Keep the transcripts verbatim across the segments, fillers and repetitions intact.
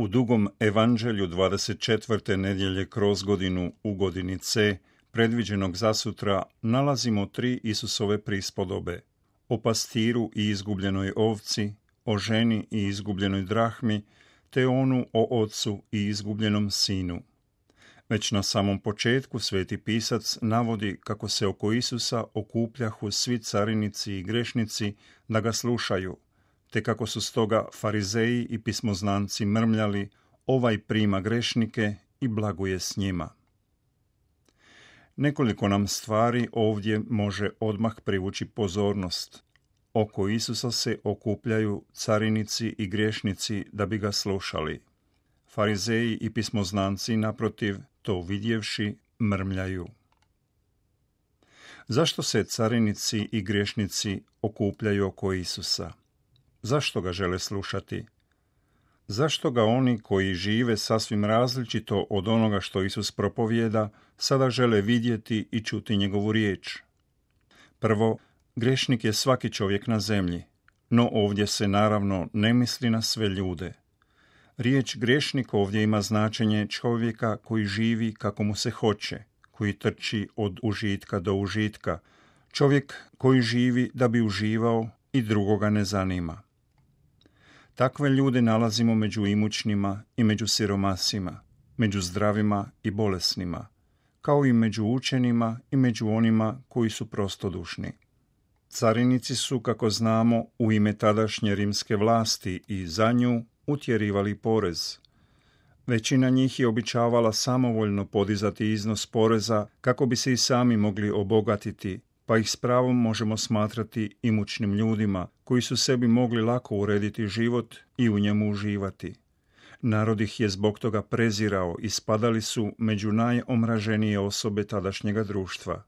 U dugom evanđelju dvadeset četvrte nedjelje kroz godinu u godini C, predviđenog za sutra, nalazimo tri Isusove prispodobe: o pastiru i izgubljenoj ovci, o ženi i izgubljenoj drahmi, te onu o ocu i izgubljenom sinu. Već na samom početku sveti pisac navodi kako se oko Isusa okupljahu svi carinici i grešnici da ga slušaju, te kako su stoga farizeji i pismoznanci mrmljali: ovaj prima grešnike i blaguje s njima. Nekoliko nam stvari ovdje može odmah privući pozornost. Oko Isusa se okupljaju carinici i griješnici da bi ga slušali. Farizeji i pismoznanci, naprotiv, to vidjevši, mrmljaju. Zašto se carinici i griješnici okupljaju oko Isusa? Zašto ga žele slušati? Zašto ga oni koji žive sasvim različito od onoga što Isus propovijeda sada žele vidjeti i čuti njegovu riječ? Prvo, griješnik je svaki čovjek na zemlji, no ovdje se naravno ne misli na sve ljude. Riječ griješnik ovdje ima značenje čovjeka koji živi kako mu se hoće, koji trči od užitka do užitka, čovjek koji živi da bi uživao i drugoga ne zanima. Takve ljude nalazimo među imućnima i među siromasima, među zdravima i bolesnima, kao i među učenima i među onima koji su prostodušni. Carinici su, kako znamo, u ime tadašnje rimske vlasti i za nju utjerivali porez. Većina njih je običavala samovoljno podizati iznos poreza kako bi se i sami mogli obogatiti, pa ih s pravom možemo smatrati imućnim ljudima koji su sebi mogli lako urediti život i u njemu uživati. Narod ih je zbog toga prezirao i spadali su među najomraženije osobe tadašnjega društva.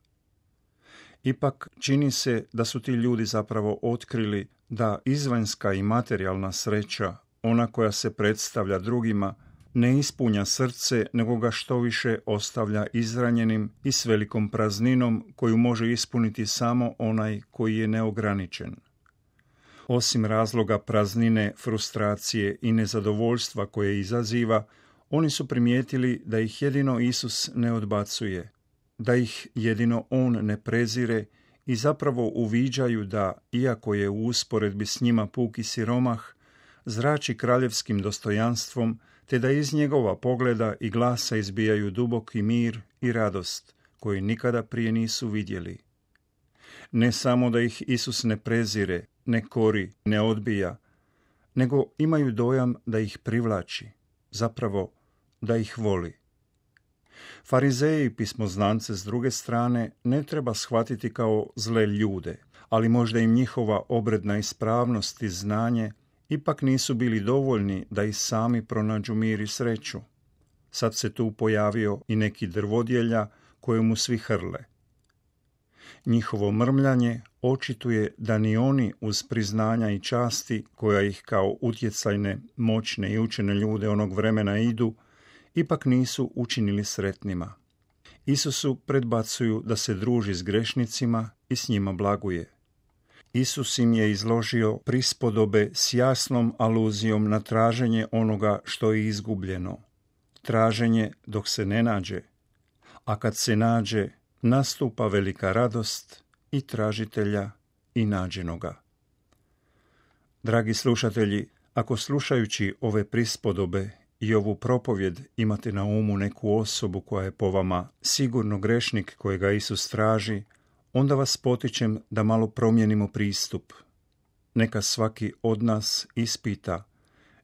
Ipak čini se da su ti ljudi zapravo otkrili da izvanjska i materijalna sreća, ona koja se predstavlja drugima, ne ispunja srce, nego ga štoviše ostavlja izranjenim i s velikom prazninom koju može ispuniti samo onaj koji je neograničen. Osim razloga praznine, frustracije i nezadovoljstva koje izaziva, oni su primijetili da ih jedino Isus ne odbacuje, da ih jedino On ne prezire i zapravo uviđaju da, iako je u usporedbi s njima puki siromah, zrači kraljevskim dostojanstvom, te da iz njegova pogleda i glasa izbijaju duboki mir i radost, koji nikada prije nisu vidjeli. Ne samo da ih Isus ne prezire, ne kori, ne odbija, nego imaju dojam da ih privlači, zapravo da ih voli. Farizeji i pismoznance s druge strane ne treba shvatiti kao zle ljude, ali možda im njihova obredna ispravnost i znanje ipak nisu bili dovoljni da i sami pronađu mir i sreću. Sad se tu pojavio i neki drvodjelja kojemu svi hrle. Njihovo mrmljanje očituje da ni oni uz priznanja i časti koja ih kao utjecajne, moćne i učene ljude onog vremena idu, ipak nisu učinili sretnima. Isusu predbacuju da se druži s grešnicima i s njima blaguje. Isus im je izložio prispodobe s jasnom aluzijom na traženje onoga što je izgubljeno. Traženje dok se ne nađe, a kad se nađe, nastupa velika radost i tražitelja i nađenoga. Dragi slušatelji, ako slušajući ove prispodobe i ovu propovjed imate na umu neku osobu koja je po vama sigurno grešnik kojega Isus traži, onda vas potičem da malo promijenimo pristup. Neka svaki od nas ispita,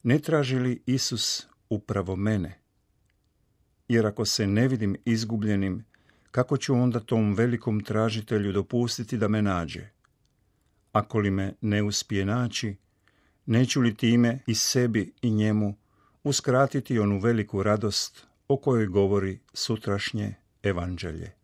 ne traži li Isus upravo mene? Jer ako se ne vidim izgubljenim, kako ću onda tom velikom tražitelju dopustiti da me nađe? Ako li me ne uspije naći, neću li time i sebi i njemu uskratiti onu veliku radost o kojoj govori sutrašnje evanđelje?